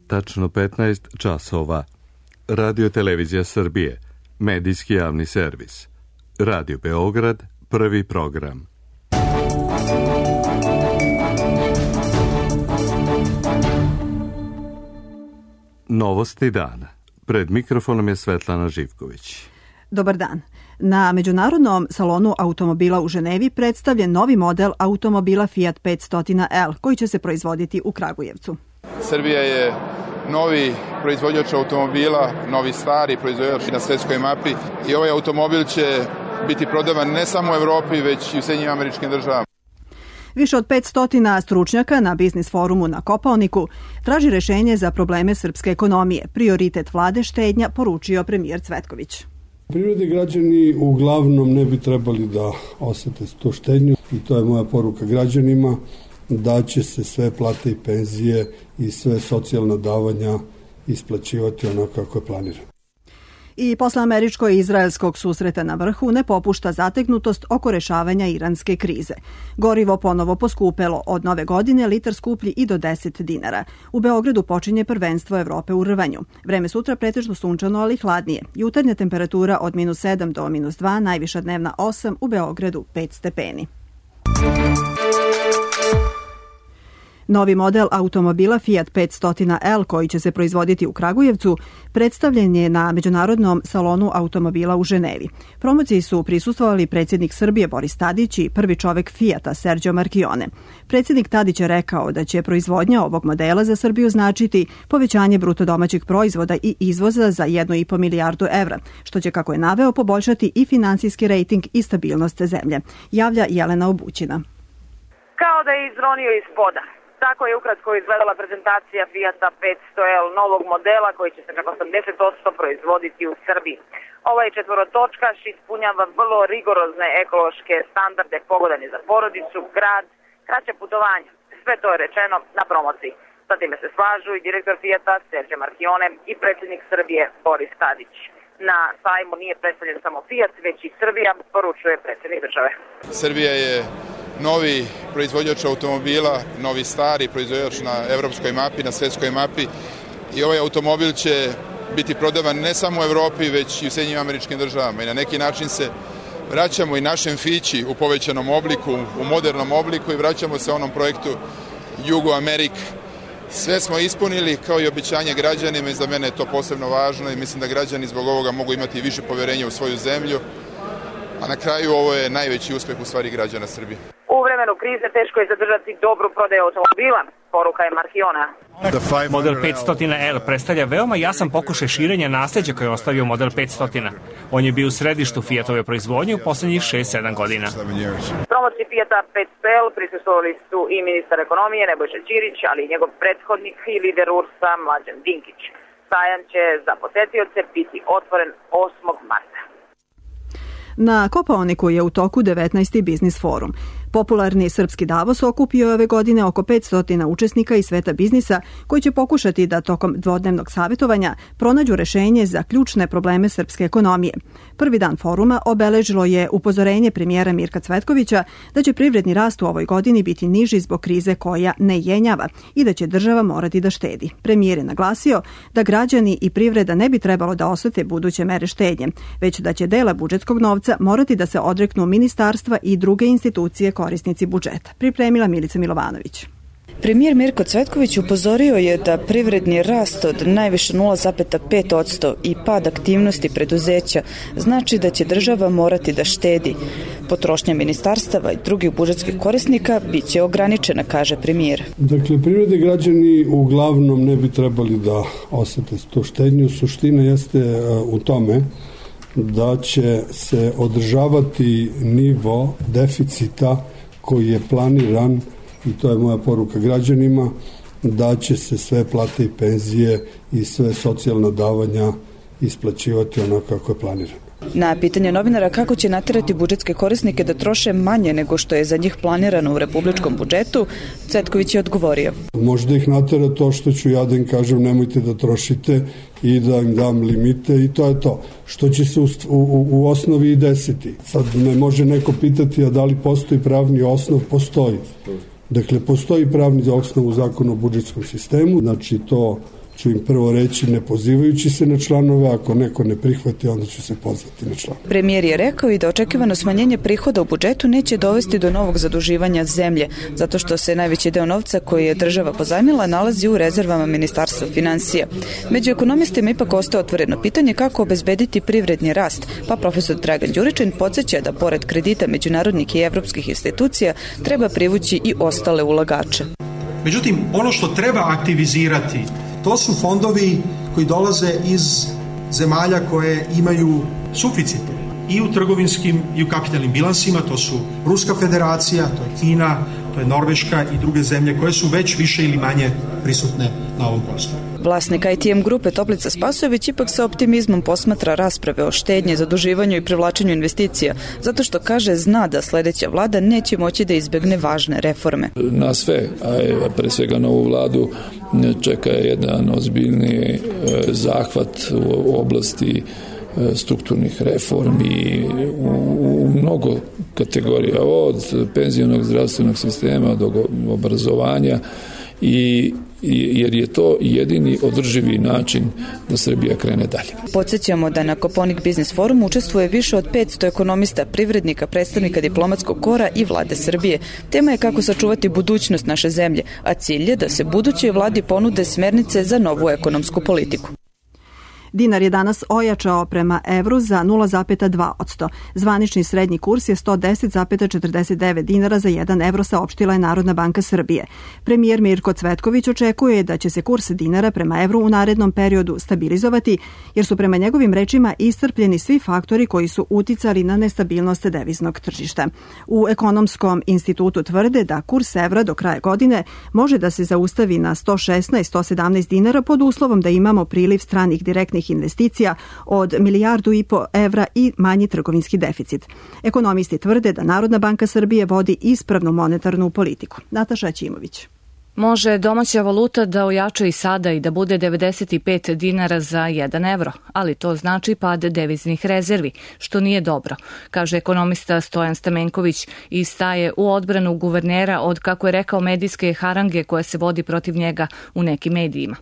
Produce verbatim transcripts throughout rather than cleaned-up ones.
tačno petnaest časova. Radio Televizija Srbije, medijski javni servis. Radio Beograd, prvi program. Novosti dana. Pred mikrofonom je Svetlana Živković. Dobar dan. Na Međunarodnom salonu automobila u Ženevi predstavljen novi model automobila Fiat petsto L koji će se proizvoditi u Kragujevcu. Srbija je novi proizvođač automobila, novi stari proizvođač na svetskoj mapi i ovaj automobil će biti prodavan ne samo u Evropi, već i u Sjedinjenim Američkim Državama. Više od petsto stručnjaka na biznis forumu na Kopaoniku traži rešenje za probleme srpske ekonomije. Prioritet vlade štednja, poručio premijer Cvetković. Privrede građani uglavnom ne bi trebali da osete tu štednju i to je moja poruka građanima, da će se sve plate i penzije i sve socijalna davanja isplaćivati onako kako je planirano. I posle američko-izraelskog susreta na vrhu ne popušta zategnutost oko rešavanja iranske krize. Gorivo ponovo poskupelo, od nove godine litar skuplji i do deset dinara. U Beogradu počinje prvenstvo Evrope u rvanju. Vreme sutra pretežno sunčano, ali hladnije. Jutarnja temperatura od minus sedam do minus dva, najviša dnevna osam, u Beogradu pet stepeni. Novi model automobila Fiat petsto L koji će se proizvoditi u Kragujevcu predstavljen je na Međunarodnom salonu automobila u Ženevi. Promociji su prisustvovali predsjednik Srbije Boris Tadić i prvi čovek Fiata Sergio Marchionne. Predsjednik Tadić je rekao da će proizvodnja ovog modela za Srbiju značiti povećanje bruto domaćeg proizvoda i izvoza za jednu i po milijardu evra, što će, kako je naveo, poboljšati i finansijski rejting i stabilnost zemlje. Javlja Jelena Obućina. Kao da je izronio iz poda. Tako je ukratko izgledala prezentacija Fiata petsto L, novog modela koji će se čak osamdeset posto proizvoditi u Srbiji. Ovaj četvorotočkaš ispunjava vrlo rigorozne ekološke standarde, pogodan je za porodicu, grad, kraća putovanja. Sve to je rečeno na promociji. Sa time se slažu i direktor Fiata Sergio Marchionne i predsjednik Srbije Boris Tadić. Na sajmu nije predstavljen samo Fiat, već i Srbija, poručuje predsjednik države. Srbija je novi proizvođač automobila, novi stari proizvođač na evropskoj mapi, na svetskoj mapi i ovaj automobil će biti prodavan ne samo u Evropi, već i u Sjedinjenim Američkim Državama i na neki način se vraćamo i našem Fići u povećanom obliku, u modernom obliku i vraćamo se onom projektu Jugo Amerika. Sve smo ispunili kao i obećanje građanima i za mene je to posebno važno i mislim da građani zbog ovoga mogu imati više poverenja u svoju zemlju, a na kraju ovo je najveći uspeh u stvari građana Srbije. U vremenu krize teško je zadržati dobru prodaju automobila, poruka je Marchionna. Model petsto L predstavlja veoma jasan pokušaj širenja nasleđa koje je ostavio model petsto. On je bio u središtu Fiatove proizvodnje u poslednjih šest sedam godina. Promociji Fiata petsto L prisustvovali su i ministar ekonomije Nebojša Ćirić, ali i njegov prethodnik i lider U R S-a Mlađan Dinkić. Sajam će za posetioce biti otvoren osmog marta. Na Kopaoniku je u toku devetnaesti biznis forum. Popularni srpski Davos okupio je ove godine oko petsto učesnika iz sveta biznisa koji će pokušati da tokom dvodnevnog savjetovanja pronađu rešenje za ključne probleme srpske ekonomije. Prvi dan foruma obeležilo je upozorenje premijera Mirka Cvetkovića da će privredni rast u ovoj godini biti niži zbog krize koja ne jenjava i da će država morati da štedi. Premijer je naglasio da građani i privreda ne bi trebalo da osete buduće mere štednje, već da će dela budžetskog novca morati da se odreknu ministarstva i druge institucije korisnici budžeta. Pripremila Milica Milovanović. Premijer Mirko Cvetković upozorio je da privredni rast od najviše nula zarez pet posto i pad aktivnosti preduzeća znači da će država morati da štedi. Potrošnja ministarstava i drugih budžetskih korisnika bit će ograničena, kaže premijer. Dakle, privrede građani uglavnom ne bi trebali da osete tu štednju. Suština jeste u tome da će se održavati nivo deficita koji je planiran, i to je moja poruka građanima, da će se sve plate i penzije i sve socijalna davanja isplaćivati onako kako je planirano. Na pitanje novinara kako će naterati budžetske korisnike da troše manje nego što je za njih planirano u republičkom budžetu, Cvetković je odgovorio. Možda ih natera to što ću ja da im kažem nemojte da trošite i da im dam limite i to je to. Što će se u, u, u osnovi i desiti. Sad me može neko pitati a da li postoji pravni osnov? Postoji. Dakle, postoji pravni osnov u zakonu o budžetskom sistemu, znači to ću im prvo reći ne pozivajući se na članove, ako neko ne prihvati, onda ću se pozvati na članove. Premijer je rekao i da očekivano smanjenje prihoda u budžetu neće dovesti do novog zaduživanja zemlje, zato što se najveći deo novca koji je država pozajmila nalazi u rezervama Ministarstva finansija. Među ekonomistima ipak ostaje otvoreno pitanje kako obezbediti privredni rast, pa profesor Dragan Đuričin podsjeća da pored kredita međunarodnih i evropskih institucija treba privući i ostale ulagače. Međutim, ono što treba aktivizirati, to su fondovi koji dolaze iz zemalja koje imaju suficite i u trgovinskim i u kapitalnim bilansima, to su Ruska federacija, to je Kina, to je Norveška i druge zemlje koje su već više ili manje prisutne na ovom prostoru. Vlasnik I T M grupe Toplica Spasojević ipak sa optimizmom posmatra rasprave o štednji, zaduživanju i privlačenju investicija, zato što kaže zna da sledeća vlada neće moći da izbegne važne reforme. Na sve, a pre svega na ovu vladu, čeka jedan ozbiljni zahvat u oblasti strukturnih reformi u mnogo kategorija, od penzionog zdravstvenog sistema do obrazovanja, i jer je to jedini održivi način da Srbija krene dalje. Podsjećamo da na Koponik Biznis forumu učestvuje više od petsto ekonomista, privrednika, predstavnika diplomatskog kora i vlade Srbije. Tema je kako sačuvati budućnost naše zemlje, a cilj je da se budućoj vladi ponude smernice za novu ekonomsku politiku. Dinar je danas ojačao prema evru za nula zarez dva posto. Zvanični srednji kurs je sto deset zarez četrdeset devet dinara za jedan evro, saopštila je Narodna banka Srbije. Premijer Mirko Cvetković očekuje da će se kurs dinara prema evru u narednom periodu stabilizovati, jer su prema njegovim rečima iscrpljeni svi faktori koji su uticali na nestabilnost deviznog tržišta. U Ekonomskom institutu tvrde da kurs evra do kraja godine može da se zaustavi na sto šesnaest do sto sedamnaest dinara pod uslovom da imamo priliv stranih direktnih investicija od milijardu i po evra i manji trgovinski deficit. Ekonomisti tvrde da Narodna banka Srbije vodi ispravnu monetarnu politiku. Nataša Ćimović. Može domaća valuta da ojača i sada i da bude devedeset pet dinara za jedan evro, ali to znači pad deviznih rezervi, što nije dobro, kaže ekonomista Stojan Stamenković i staje u odbranu guvernera od, kako je rekao, medijske harange koja se vodi protiv njega u nekim medijima.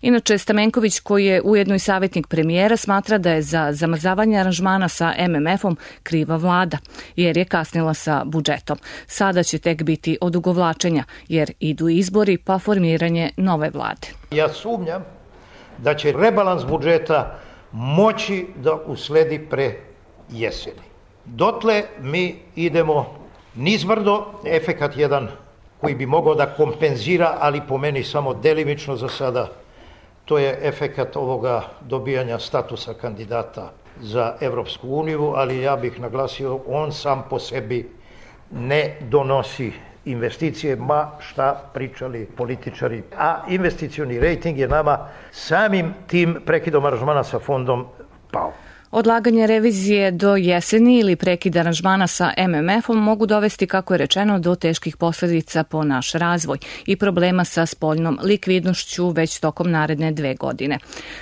Inače, Stamenković, koji je ujedno i savjetnik premijera, smatra da je za zamrzavanje aranžmana sa M M F-om kriva vlada, jer je kasnila sa budžetom. Sada će tek biti odugovlačenja, jer idu izbori pa formiranje nove vlade. Ja sumnjam da će rebalans budžeta moći da usledi pre jeseni. Dotle mi idemo nizbrdo, efekat jedan koji bi mogao da kompenzira, ali po meni samo delimično za sada, to je efekat ovoga dobijanja statusa kandidata za Evropsku uniju, ali ja bih naglasio, on sam po sebi ne donosi investicije, ma šta pričali političari. A investicioni rejting je nama samim tim prekidom aranžmana sa fondom pao. Odlaganje revizije do jeseni ili prekid aranžmana sa M M F-om mogu dovesti, kako je rečeno, do teških posljedica po naš razvoj i problema sa spoljnom likvidnošću već tokom naredne dve godine.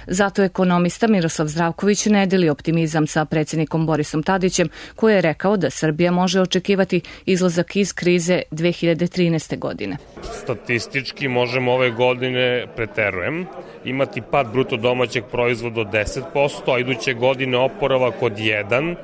Zato ekonomista Miroslav Zdravković ne deli optimizam sa predsjednikom Borisom Tadićem, koji je rekao da Srbija može očekivati izlazak iz krize dve hiljade trinaeste. godine. Statistički možemo ove godine, preterujem, imati pad bruto domaćeg proizvoda od deset posto, a iduće godine oporavak od jedan,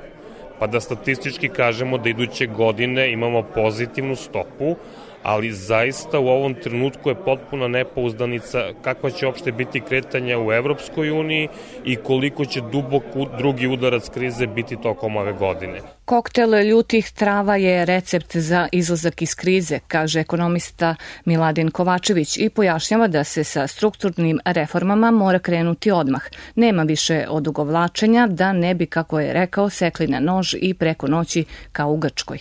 pa da statistički kažemo da iduće godine imamo pozitivnu stopu, ali zaista u ovom trenutku je potpuna nepouzdanica kakva će uopšte biti kretanja u Evropskoj uniji i koliko će dubok drugi udarac krize biti tokom ove godine. Koktel ljutih trava je recept za izlazak iz krize, kaže ekonomista Miladin Kovačević i pojašnjava da se sa strukturnim reformama mora krenuti odmah. Nema više odugovlačenja da ne bi, kako je rekao, sekli na nož i preko noći kao u Grčkoj.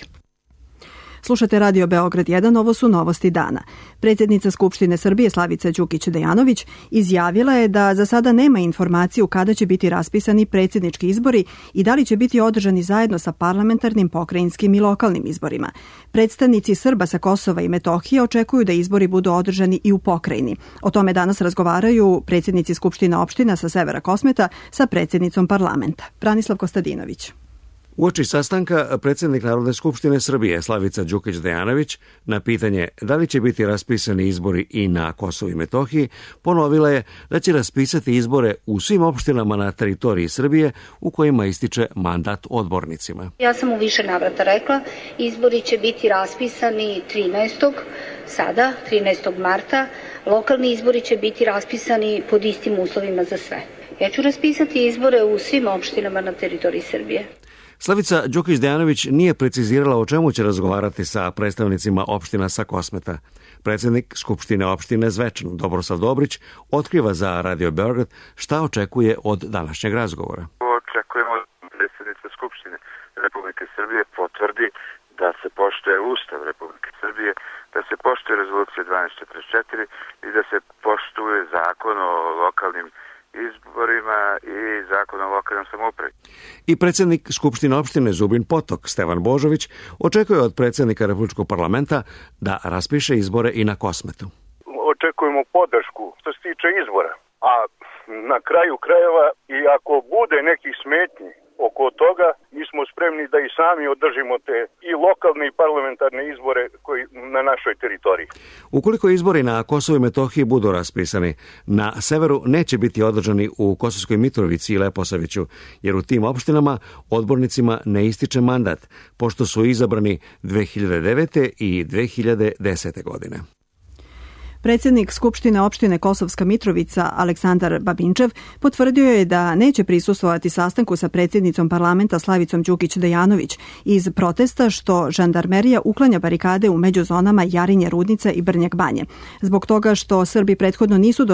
Slušate Radio Beograd jedan, ovo su novosti dana. Predsjednica Skupštine Srbije Slavica Đukić Dejanović izjavila je da za sada nema informaciju kada će biti raspisani predsjednički izbori i da li će biti održani zajedno sa parlamentarnim, pokrajinskim i lokalnim izborima. Predstavnici Srba sa Kosova i Metohije očekuju da izbori budu održani i u pokrajini. O tome danas razgovaraju predsjednici Skupština opština sa severa Kosmeta sa predsjednicom parlamenta. Branislav Kostadinović. Uoči sastanka predsjednik Narodne skupštine Srbije Slavica Đukić Dejanović na pitanje da li će biti raspisani izbori i na Kosovu i Metohiji ponovila je da će raspisati izbore u svim opštinama na teritoriji Srbije u kojima ističe mandat odbornicima. Ja sam u više navrata rekla, izbori će biti raspisani trinaestog sada, trinaestog marta, lokalni izbori će biti raspisani pod istim uslovima za sve. Ja ću raspisati izbore u svim opštinama na teritoriji Srbije. Slavica Đukić Dejanović nije precizirala o čemu će razgovarati sa predstavnicima opština sa Kosmeta. Predsjednik Skupštine opštine Zvečan, Dobrosav Dobrić, otkriva za Radio Beograd šta očekuje od današnjeg razgovora. Očekujemo da predsjednica Skupštine Republike Srbije potvrdi da se poštuje Ustav Republike Srbije, da se poštuje rezolucija dvanaest četrdeset četiri i da se poštuje zakon o lokalnim izborima i zakon o lokalnom samoupravi. I predsjednik Skupštine opštine Zubin Potok, Stevan Božović, očekuje od predsjednika Republičkog parlamenta da raspiše izbore i na Kosmetu. Očekujemo podršku što se tiče izbora, a na kraju krajeva i ako bude nekih smetnji oko toga, mi smo spremni da i sami održimo te i lokalne i parlamentarne izbore koji na našoj teritoriji. Ukoliko izbori na Kosovu i Metohiji budu raspisani, na severu neće biti održani u Kosovskoj Mitrovici i Leposaviću, jer u tim opštinama odbornicima ne ističe mandat, pošto su izabrani dve hiljade devete. i dve hiljade desete. godine. Predsjednik Skupštine opštine Kosovska Mitrovica Aleksandar Babinčev potvrdio je da neće prisustvovati sastanku sa predsjednicom parlamenta Slavicom Đukić Dejanović iz protesta što žandarmerija uklanja barikade u međuzonama Jarinje, Rudnica i Brnjak Banje. Zbog toga što Srbi prethodno nisu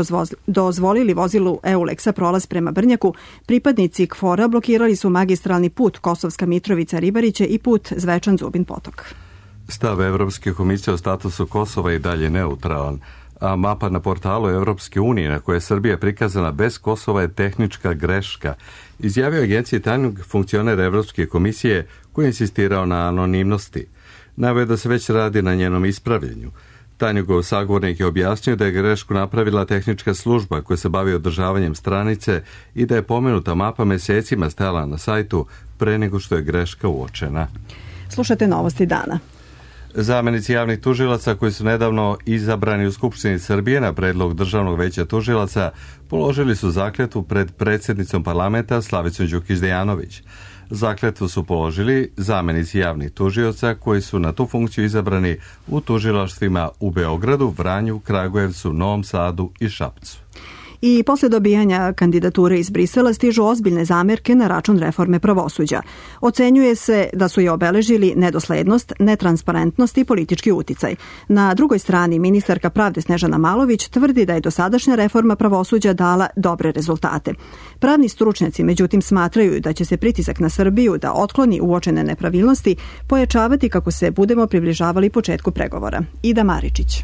dozvolili vozilu Euleksa prolaz prema Brnjaku, pripadnici KFOR-a blokirali su magistralni put Kosovska Mitrovica Ribariće i put Zvečan Zubin Potok. Stav Evropske komisije o statusu Kosova je dalje neutralan, a mapa na portalu Evropske unije na kojoj je Srbija prikazana bez Kosova je tehnička greška, izjavio agenciji tajnog funkcionera Evropske komisije koji je insistirao na anonimnosti. Naveo da se već radi na njenom ispravljenju. Tajnjegov sagovornik je objasnio da je grešku napravila tehnička služba koja se bavi održavanjem stranice i da je pomenuta mapa mesecima stajala na sajtu pre nego što je greška uočena. Slušate Novosti dana. Zamenici javnih tužilaca koji su nedavno izabrani u Skupštini Srbije na predlog Državnog veća tužilaca položili su zakletvu pred predsjednicom parlamenta Slavicom Đukić Dejanović. Zakletvu su položili zamenici javnih tužioca koji su na tu funkciju izabrani u tužilaštvima u Beogradu, Vranju, Kragujevcu, Novom Sadu i Šapcu. I posle dobijanja kandidature iz Brisela stižu ozbiljne zamerke na račun reforme pravosuđa. Ocenjuje se da su je obeležili nedoslednost, netransparentnost i politički uticaj. Na drugoj strani ministarka pravde Snežana Malović tvrdi da je dosadašnja reforma pravosuđa dala dobre rezultate. Pravni stručnjaci međutim smatraju da će se pritisak na Srbiju da otkloni uočene nepravilnosti pojačavati kako se budemo približavali početku pregovora. Ida Maričić.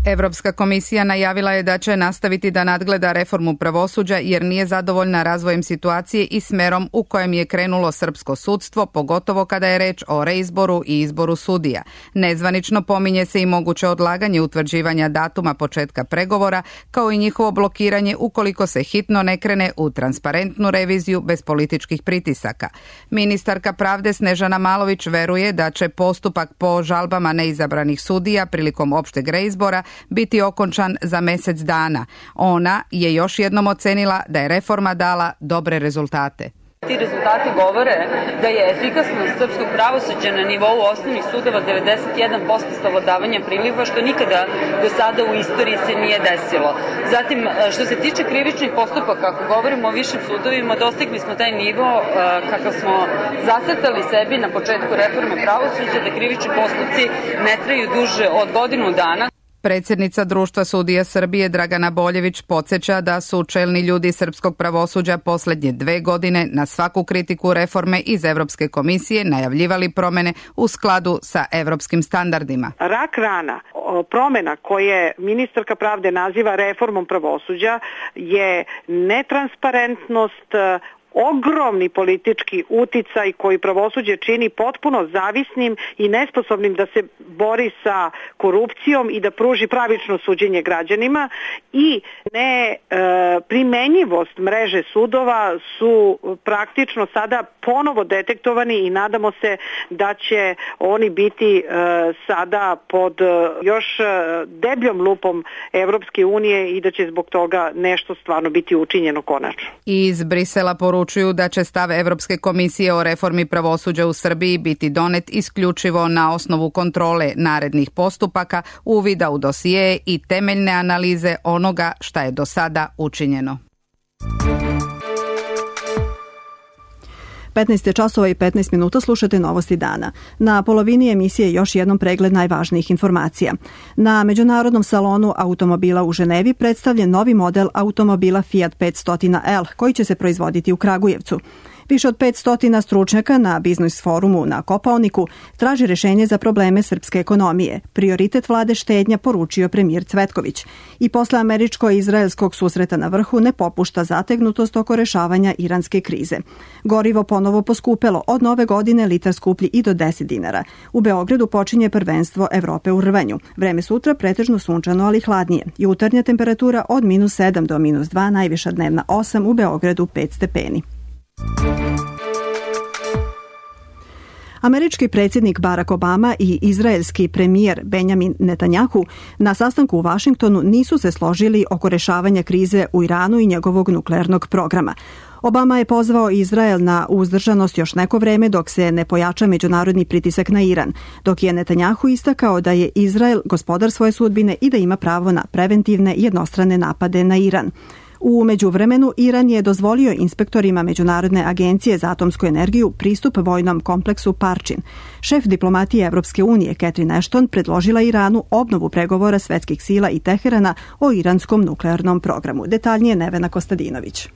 Evropska komisija najavila je da će nastaviti da nadgleda reformu pravosuđa jer nije zadovoljna razvojem situacije i smerom u kojem je krenulo srpsko sudstvo, pogotovo kada je reč o reizboru i izboru sudija. Nezvanično pominje se i moguće odlaganje utvrđivanja datuma početka pregovora, kao i njihovo blokiranje ukoliko se hitno ne krene u transparentnu reviziju bez političkih pritisaka. Ministarka pravde Snežana Malović veruje da će postupak po žalbama neizabranih sudija prilikom opšteg reizbora biti okončan za mjesec dana. Ona je još jednom ocenila da je reforma dala dobre rezultate. Ti rezultati govore da je efikasnost srpskog pravosuđa na nivou osnovnih sudova devedeset jedan posto savladavanja priliva, što nikada do sada u istoriji se nije desilo. Zatim, što se tiče krivičnih postupaka, ako govorimo o višim sudovima, dostigli smo taj nivo kakav smo zacrtali sebi na početku reforme pravosuđa, da krivični postupci ne traju duže od godinu dana. Predsjednica Društva sudija Srbije Dragana Boljević podsjeća da su čelni ljudi srpskog pravosuđa posljednje dve godine na svaku kritiku reforme iz Evropske komisije najavljivali promjene u skladu sa evropskim standardima. Rak rana promjena koje ministarka pravde naziva reformom pravosuđa je netransparentnost, ogromni politički uticaj koji pravosuđe čini potpuno zavisnim i nesposobnim da se bori sa korupcijom i da pruži pravično suđenje građanima, i ne e, primenjivost mreže sudova su praktično sada ponovo detektovani i nadamo se da će oni biti e, sada pod još debljom lupom Evropske unije i da će zbog toga nešto stvarno biti učinjeno konačno. Iz Brisela poručuju da će stav Evropske komisije o reformi pravosuđa u Srbiji biti donet isključivo na osnovu kontrole narednih postupaka, uvida u dosije i temeljne analize onoga šta je do sada učinjeno. petnaest časova i petnaest minuta, slušate Novosti dana. Na polovini emisije još jednom pregled najvažnijih informacija. Na Međunarodnom salonu automobila u Ženevi predstavljen novi model automobila Fiat petsto L koji će se proizvoditi u Kragujevcu. Više od petsto stručnjaka na biznis forumu na Kopaoniku traži rešenje za probleme srpske ekonomije. Prioritet vlade štednja, poručio premijer Cvetković. I posle američko-izraelskog susreta na vrhu ne popušta zategnutost oko rešavanja iranske krize. Gorivo ponovo poskupelo, od nove godine litar skuplji i do deset dinara. U Beogradu počinje prvenstvo Evrope u rvanju. Vreme sutra pretežno sunčano, ali hladnije. Jutarnja temperatura od minus sedam do minus dva, najviša dnevna osam, u Beogradu pet stepeni. Američki predsjednik Barack Obama i izraelski premijer Benjamin Netanjahu na sastanku u Vašingtonu nisu se složili oko rešavanja krize u Iranu i njegovog nuklearnog programa. Obama je pozvao Izrael na uzdržanost još neko vreme dok se ne pojača međunarodni pritisak na Iran, dok je Netanjahu istakao da je Izrael gospodar svoje sudbine i da ima pravo na preventivne jednostrane napade na Iran. U međuvremenu, Iran je dozvolio inspektorima Međunarodne agencije za atomsku energiju pristup vojnom kompleksu Parčin. Šef diplomatije Evropske unije Catherine Ashton predložila Iranu obnovu pregovora svetskih sila i Teherana o iranskom nuklearnom programu. Detaljnije Nevena Kostadinović.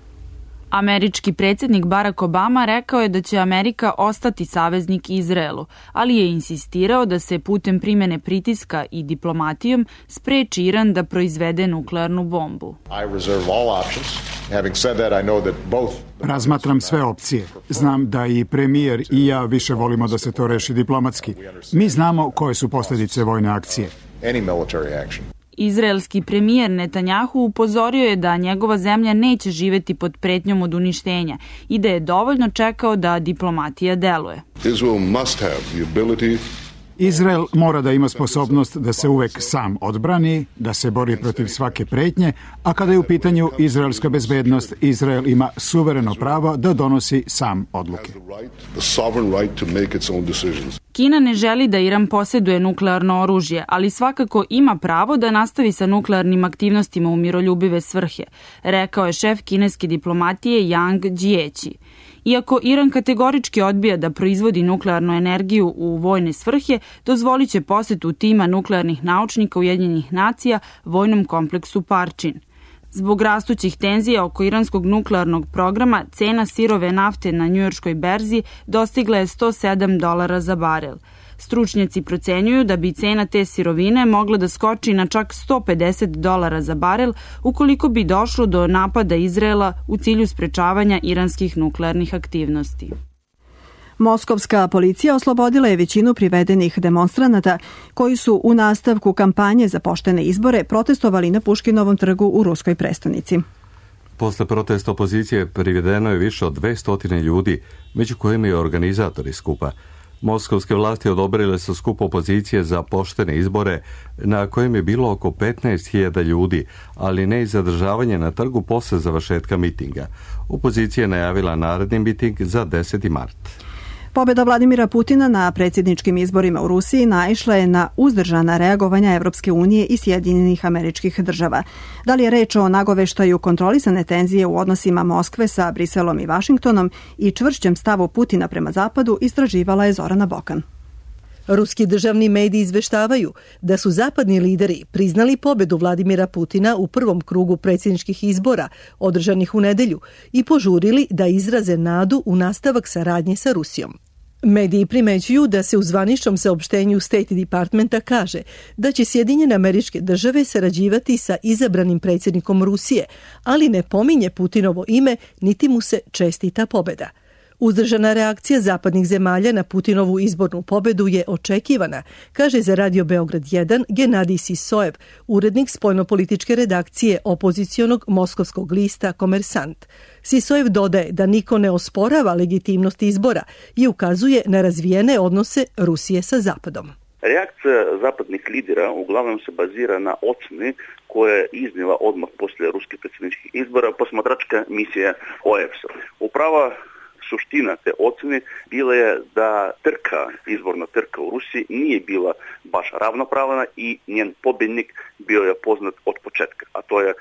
Američki predsjednik Barack Obama rekao je da će Amerika ostati saveznik Izraelu, ali je insistirao da se putem primjene pritiska i diplomatijom spreči Iran da proizvede nuklearnu bombu. Razmatram sve opcije. Znam da i premijer i ja više volimo da se to reši diplomatski. Mi znamo koje su posljedice vojne akcije. Izraelski premijer Netanjahu upozorio je da njegova zemlja neće živjeti pod pretnjom od uništenja i da je dovoljno čekao da diplomatija deluje. Izrael mora da ima sposobnost da se uvek sam odbrani, da se bori protiv svake pretnje, a kada je u pitanju izraelska bezbednost, Izrael ima suvereno pravo da donosi sam odluke. Kina ne želi da Iran posjeduje nuklearno oružje, ali svakako ima pravo da nastavi sa nuklearnim aktivnostima u miroljubive svrhe, rekao je šef kineske diplomatije Yang Jiechi. Iako Iran kategorički odbija da proizvodi nuklearnu energiju u vojne svrhe, dozvolit će posjetu tima nuklearnih naučnika Ujedinjenih nacija vojnom kompleksu Parčin. Zbog rastućih tenzija oko iranskog nuklearnog programa, cena sirove nafte na njujorškoj berzi dostigla je sto sedam dolara za barel. Stručnjaci procenjuju da bi cena te sirovine mogla da skoči na čak sto pedeset dolara za barel ukoliko bi došlo do napada Izraela u cilju sprečavanja iranskih nuklearnih aktivnosti. Moskovska policija oslobodila je većinu privedenih demonstranata koji su u nastavku kampanje za poštene izbore protestovali na Puškinovom trgu u ruskoj prestonici. Posle protesta opozicije privedeno je više od dvesta ljudi, među kojima i organizatori skupa. Moskovske vlasti odobrile su skup opozicije za poštene izbore, na kojem je bilo oko petnaest hiljada ljudi, ali ne i zadržavanje na trgu posle završetka mitinga. Opozicija je najavila naredni miting za deseti mart. Pobjeda Vladimira Putina na predsjedničkim izborima u Rusiji naišla je na uzdržana reagovanja Evropske unije i Sjedinjenih Američkih Država. Da li je reč o nagoveštaju kontrolisane tenzije u odnosima Moskve sa Briselom i Vašingtonom i čvršćem stavu Putina prema Zapadu, istraživala je Zorana Bokan. Ruski državni mediji izveštavaju da su zapadni lideri priznali pobedu Vladimira Putina u prvom krugu predsjedničkih izbora održanih u nedelju i požurili da izraze nadu u nastavak saradnje sa Rusijom. Mediji primećuju da se u zvaničnom saopštenju State Departmenta kaže da će Sjedinjene Američke Države sarađivati sa izabranim predsjednikom Rusije, ali ne pominje Putinovo ime niti mu se čestita pobjeda. Uzdržana reakcija zapadnih zemalja na Putinovu izbornu pobedu je očekivana, kaže za Radio Beograd jedan Genadij Sisojev, urednik spoljnopolitičke redakcije opozicionog moskovskog lista Komersant. Sisojev dodaje da niko ne osporava legitimnost izbora i ukazuje na razvijene odnose Rusije sa Zapadom. Reakcija zapadnih lidera uglavnom se bazira na ocjeni koje je iznijela odmah poslije ruskih predsjedničkih izbora posmatračka misija O E P S-a. Uprava suština te ocjene bila je da trka, izborna trka u Rusiji nije bila baš ravnopravna i njen pobjednik bio je poznat od početka, a to je uh,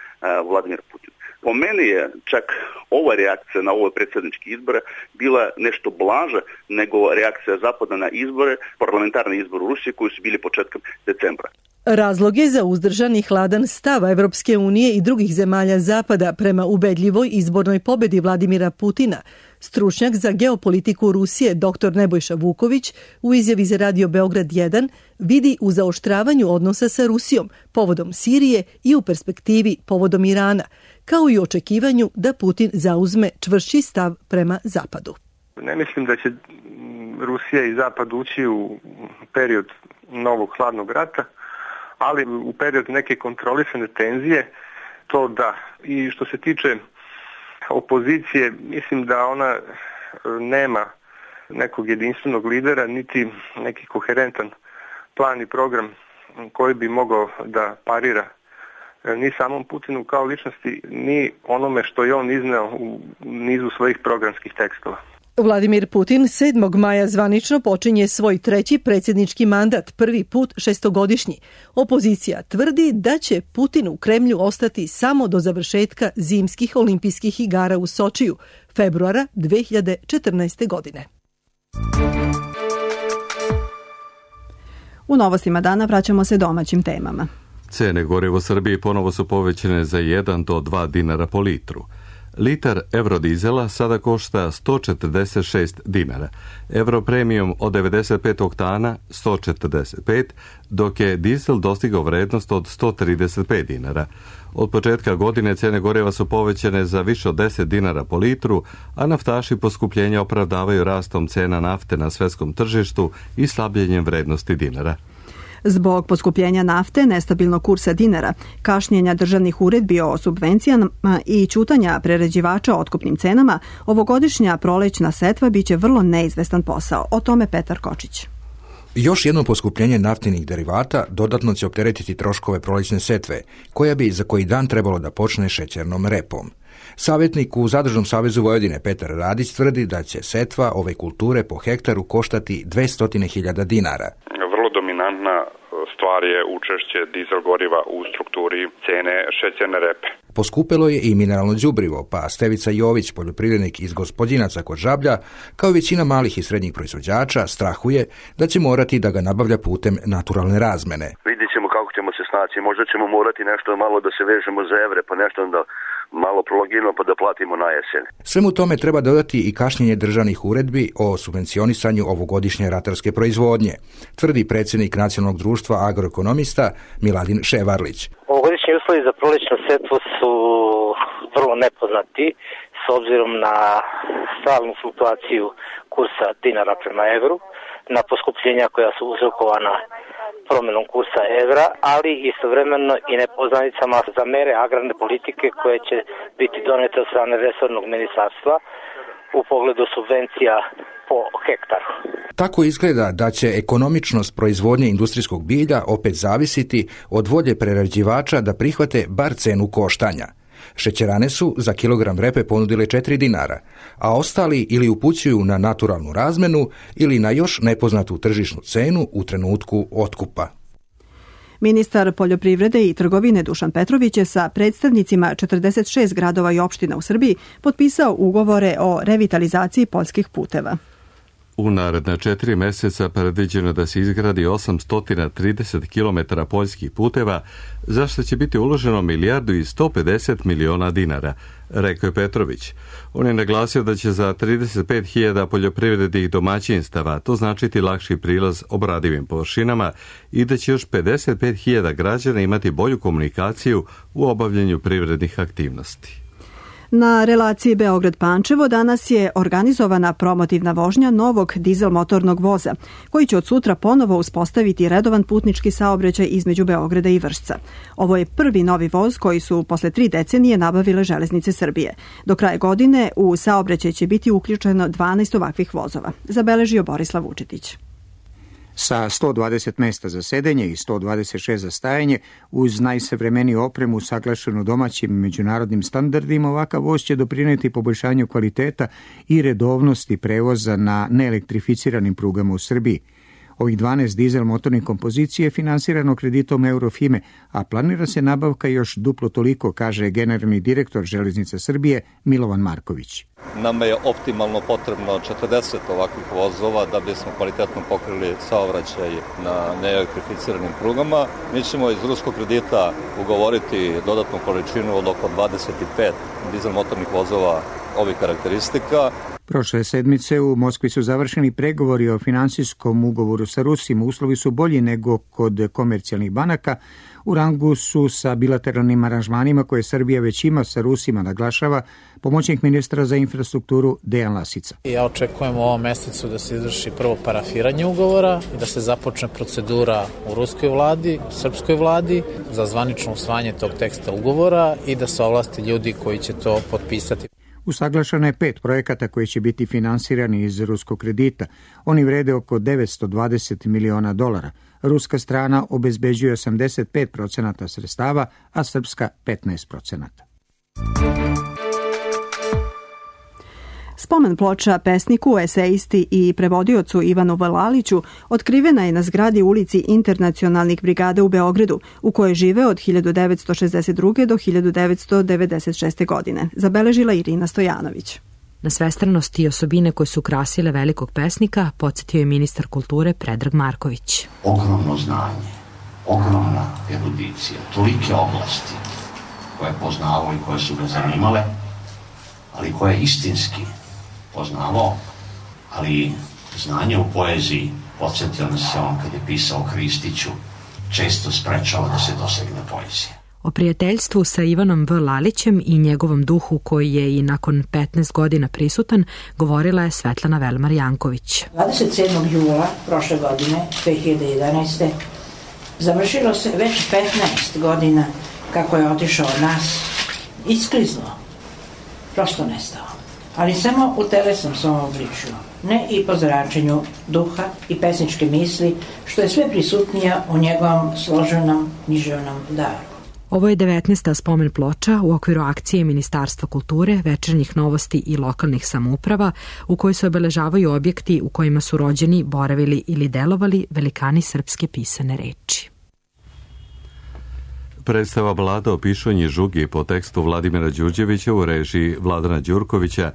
Vladimir Putin. Po meni je čak ova reakcija na ove predsjedničke izbore bila nešto blaža nego reakcija Zapada na izbore, parlamentarne izbore u Rusiji koji su bili početkom decembra. Razlog je za uzdržan i hladan stav Evropske unije i drugih zemalja Zapada prema ubedljivoj izbornoj pobedi Vladimira Putina. Stručnjak za geopolitiku Rusije dr. Nebojša Vuković u izjavi za Radio Beograd jedan vidi u zaoštravanju odnosa sa Rusijom povodom Sirije i u perspektivi povodom Irana, kao i očekivanju da Putin zauzme čvršći stav prema Zapadu. Ne mislim da će Rusija i Zapad ući u period novog hladnog rata, ali u period neke kontrolisane tenzije, to da. I što se tiče opozicije, mislim da ona nema nekog jedinstvenog lidera, niti neki koherentan plan i program koji bi mogao da parira ni samom Putinu kao ličnosti, ni onome što je on izneo u nizu svojih programskih tekstova. Vladimir Putin sedmog maja zvanično počinje svoj treći predsjednički mandat, prvi put šestogodišnji. Opozicija tvrdi da će Putin u Kremlju ostati samo do završetka zimskih olimpijskih igara u Sočiju, februara dve hiljade četrnaeste. godine. U novostima dana vraćamo se domaćim temama. Cene goriva u Srbiji ponovo su povećane za jedan do dva dinara po litru. Litar eurodizela sada košta sto četrdeset šest dinara, euro premium od devedeset pet oktana sto četrdeset pet, dok je dizel dostigao vrednost od sto trideset pet dinara. Od početka godine cene goriva su povećane za više od deset dinara po litru, a naftaši poskupljenja opravdavaju rastom cena nafte na svetskom tržištu i slabljenjem vrednosti dinara. Zbog poskupljenja nafte, nestabilnog kursa dinara, kašnjenja državnih uredbi o subvencijama i ćutanja prerađivača o otkupnim cenama, ovogodišnja prolećna setva biće vrlo neizvestan posao. O tome Petar Kočić. Još jedno poskupljenje naftnih derivata dodatno će opteretiti troškove prolećne setve, koja bi za koji dan trebalo da počne šećernom repom. Savjetnik u Zadružnom savezu Vojvodine Petar Radić tvrdi da će setva ove kulture po hektaru koštati dvesta hiljada dinara. Vrlo dominantna stvar je učešće dizel goriva u strukturi cene šećerne repe. Poskupelo je i mineralno đubrivo, pa Stevica Jović, poljoprivrednik iz Gospodinaca kod Žablja, kao i većina malih i srednjih proizvođača, strahuje da će morati da ga nabavlja putem naturalne razmene. Vidjet ćemo kako ćemo se snaći, možda ćemo morati nešto malo da se vežemo za evre, pa nešto da malo prolongiramo pa da platimo na jesen. Svemu tome treba dodati i kašnjenje državnih uredbi o subvencionisanju ovogodišnje ratarske proizvodnje, tvrdi predsjednik Nacionalnog društva agroekonomista Miladin Ševarlić. Ovogodišnji uslovi za prolećnu setvu su vrlo nepoznati s obzirom na stalnu fluktuaciju kursa dinara prema evru, na poskupljenja koja su uzrokovana promjenom kursa evra, ali istovremeno i nepoznanicama za mere agrarne politike koje će biti donete od strane resornog ministarstva u pogledu subvencija po hektaru. Tako izgleda da će ekonomičnost proizvodnje industrijskog bilja opet zavisiti od volje prerađivača da prihvate bar cenu koštanja. Šećerane su za kilogram repe ponudile četiri dinara, a ostali ili upućuju na naturalnu razmenu ili na još nepoznatu tržišnu cenu u trenutku otkupa. Ministar poljoprivrede i trgovine Dušan Petrović je sa predstavnicima četrdeset šest gradova i opština u Srbiji potpisao ugovore o revitalizaciji poljskih puteva. U naredna četiri meseca predviđeno da se izgradi osamsto trideset kilometara poljskih puteva, za što će biti uloženo milijardu i sto pedeset miliona dinara, rekao je Petrović. On je naglasio da će za trideset pet hiljada poljoprivrednih domaćinstava to značiti lakši prilaz obradivim površinama i da će još pedeset pet hiljada građana imati bolju komunikaciju u obavljanju privrednih aktivnosti. Na relaciji Beograd-Pančevo danas je organizovana promotivna vožnja novog dizel motornog voza, koji će od sutra ponovo uspostaviti redovan putnički saobraćaj između Beograda i Vršca. Ovo je prvi novi voz koji su posle tri decenije nabavile Železnice Srbije. Do kraja godine u saobraćaj će biti uključeno dvanaest ovakvih vozova, zabeležio Borislav Vučetić. Sa sto dvadeset mesta za sedenje i sto dvadeset šest za stajanje, uz najsavremeniju opremu saglašenu domaćim i međunarodnim standardima, ovakav voz će doprineti poboljšanju kvaliteta i redovnosti prevoza na neelektrificiranim prugama u Srbiji. Ovih dvanaest dizel motornih kompozicija je finansirano kreditom Eurofime, a planira se nabavka još duplo toliko, kaže generalni direktor Železnica Srbije Milovan Marković. Nama je optimalno potrebno četrdeset ovakvih vozova da bismo kvalitetno pokrili saobraćaj na neelektrificiranim prugama. Mi ćemo iz ruskog kredita ugovoriti dodatnu količinu od oko dvadeset pet dizel motornih vozova ovih karakteristika. Prošle sedmice u Moskvi su završeni pregovori o finansijskom ugovoru sa Rusima. Uslovi su bolji nego kod komercijalnih banaka. U rangu su sa bilateralnim aranžmanima koje Srbija već ima sa Rusima, naglašava pomoćnik ministra za infrastrukturu Dejan Lasica. Ja očekujem u ovom mesecu da se izvrši prvo parafiranje ugovora i da se započne procedura u ruskoj vladi, srpskoj vladi za zvanično usvajanje tog teksta ugovora i da se ovlasti ljudi koji će to potpisati. Usaglašano je pet projekata koji će biti finansirani iz ruskog kredita. Oni vrede oko devetsto dvadeset miliona dolara. Ruska strana obezbeđuje osamdeset pet procenata sredstava, a srpska petnaest procenata. Spomen ploča pesniku, esejisti i prevodiocu Ivanu Vlaliću otkrivena je na zgradi ulici Internacionalnih brigada u Beogradu, u kojoj žive od hiljadu devetsto šezdeset druge do hiljadu devetsto devedeset šeste. godine, zabeležila Irina Stojanović. Na svestranosti i osobine koje su krasile velikog pesnika podsjetio je ministar kulture Predrag Marković. Ogromno znanje, ogromna erudicija, tolike oblasti koje je poznavao i koje su ga zanimale, ali koje je istinski poznavao, ali znanje u poeziji, podsjetio nas se on kad je pisao o Kristiću, često sprečava da se dosegne poezija. O prijateljstvu sa Ivanom V. Lalićem i njegovom duhu koji je i nakon petnaest godina prisutan, govorila je Svetlana Velmar Janković. dvadeset sedmog jula prošle godine, dve hiljade jedanaeste. završilo se već petnaest godina kako je otišao od nas, iskliznuo, prosto nestao. Ali samo u telesnom svom obličju, ne i po zračenju duha i pesničke misli, što je sve prisutnija u njegovom složenom književnom daru. Ovo je devetnaesta spomen ploča u okviru akcije Ministarstva kulture, večernjih novosti i lokalnih samouprava, u kojoj se obeležavaju objekti u kojima su rođeni, boravili ili delovali velikani srpske pisane reči. Predstava Vlada o pišonji žugi po tekstu Vladimira Đurđevića u režiji Vladana Đurkovića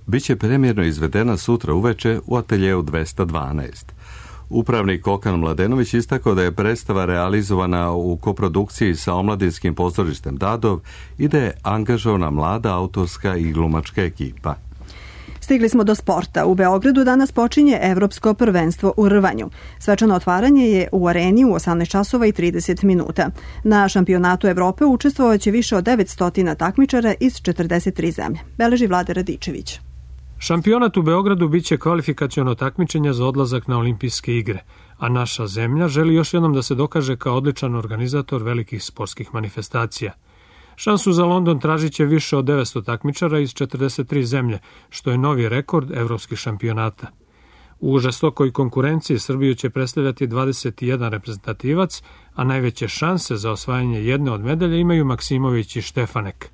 biće premjerno izvedena sutra uveče u ateljeu dvesta dvanaest. Upravnik Kokan Mladenović istakao da je predstava realizovana u koprodukciji sa omladinskim pozorištem Dadov i da je angažovana mlada autorska i glumačka ekipa. Stigli smo do sporta. U Beogradu danas počinje Evropsko prvenstvo u rvanju. Svečano otvaranje je u areni u osamnaest časova i trideset minuta. Na šampionatu Evrope učestvovaće više od devetsto takmičara iz četrdeset tri zemlje. Beleži Vlada Radičević. Šampionat u Beogradu biće kvalifikaciono takmičenje za odlazak na olimpijske igre, a naša zemlja želi još jednom da se dokaže kao odličan organizator velikih sportskih manifestacija. Šansu za London tražit će više od devetsto takmičara iz četrdeset tri zemlje, što je novi rekord evropskih šampionata. U žestokoj konkurenciji Srbiju će predstavljati dvadeset jedan reprezentativac, a najveće šanse za osvajanje jedne od medalje imaju Maksimović i Štefanek.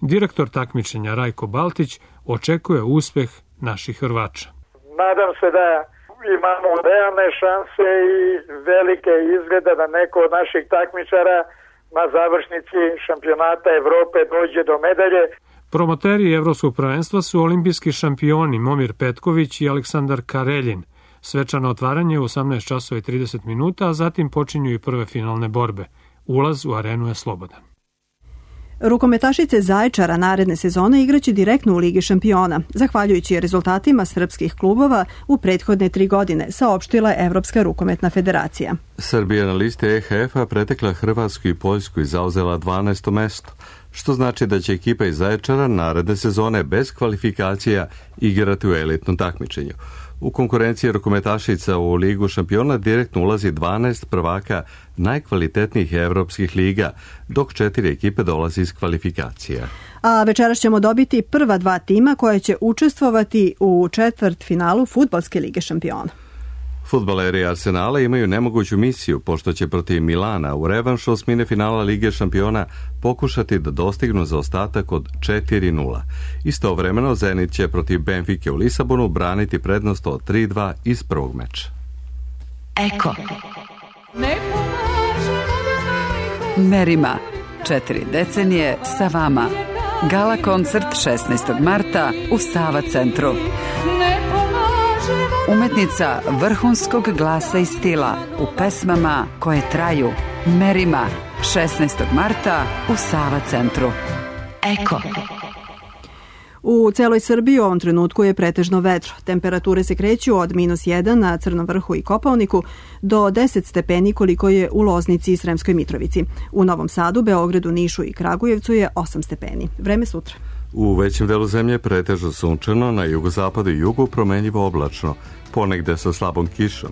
Direktor takmičenja Rajko Baltić očekuje uspeh naših Hrvača. Nadam se da imamo realne šanse i velike izglede da neko od naših takmičara na završnici šampionata Evrope dođe do medalje. Promoteri Evropskog prvenstva su olimpijski šampioni Momir Petković i Aleksandar Kareljin. Svečano otvaranje u osamnaest časova i trideset minuta, a zatim počinju i prve finalne borbe. Ulaz u arenu je slobodan. Rukometašice Zaječara naredne sezone igraće direktno u Ligi šampiona, zahvaljujući rezultatima srpskih klubova u prethodne tri godine, saopštila je Evropska rukometna federacija. Srbija na listi E H F-a pretekla Hrvatsku i Poljsku i zauzela dvanaesto mesto, što znači da će ekipa iz Zaječara naredne sezone bez kvalifikacija igrati u elitnom takmičenju. U konkurenciji rukometašica u Ligu šampiona direktno ulazi dvanaest prvaka najkvalitetnijih evropskih liga, dok četiri ekipe dolazi iz kvalifikacija. A večeras ćemo dobiti prva dva tima koje će učestvovati u četvrtfinalu Fudbalske lige šampiona. Fudbaleri Arsenala imaju nemoguću misiju, pošto će protiv Milana u revanšu osmine finala Lige šampiona pokušati da dostignu zaostatak od četiri nula. Istovremeno Zenit će protiv Benfike u Lisabonu braniti prednost od tri dva iz prvog meča. Eko. Merima. Četiri decenije sa vama. Gala koncert šesnaestog marta u Sava centru. Umetnica vrhunskog glasa i stila u pesmama koje traju. Merima, šesnaestog marta u Sava centru. Eko. U celoj Srbiji u ovom trenutku je pretežno vedro. Temperature se kreću od minus jedan na Crnom vrhu i Kopaoniku do deset stepeni koliko je u Loznici i Sremskoj Mitrovici. U Novom Sadu, Beogradu, Nišu i Kragujevcu je osam stepeni. Vreme sutra. U većem delu zemlje pretežno sunčano, na jugozapadu i jugu promenljivo oblačno, ponegde sa slabom kišom.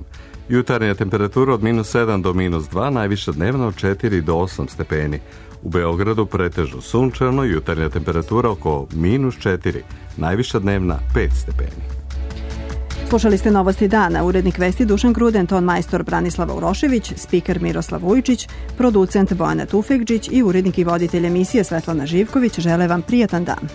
Jutarnja temperatura od minus sedam do minus dva, najviša dnevna od četiri do osam stepeni. U Beogradu pretežno sunčano, jutarnja temperatura oko minus četiri, najviša dnevna pet stepeni. Slušali ste Novosti dana, urednik vesti Dušan Kruden, ton majstor Branislava Urošević, spiker Miroslav Vujčić, producent Bojana Tufekđić i urednik i voditelj emisije Svetlana Živković žele vam prijatan dan.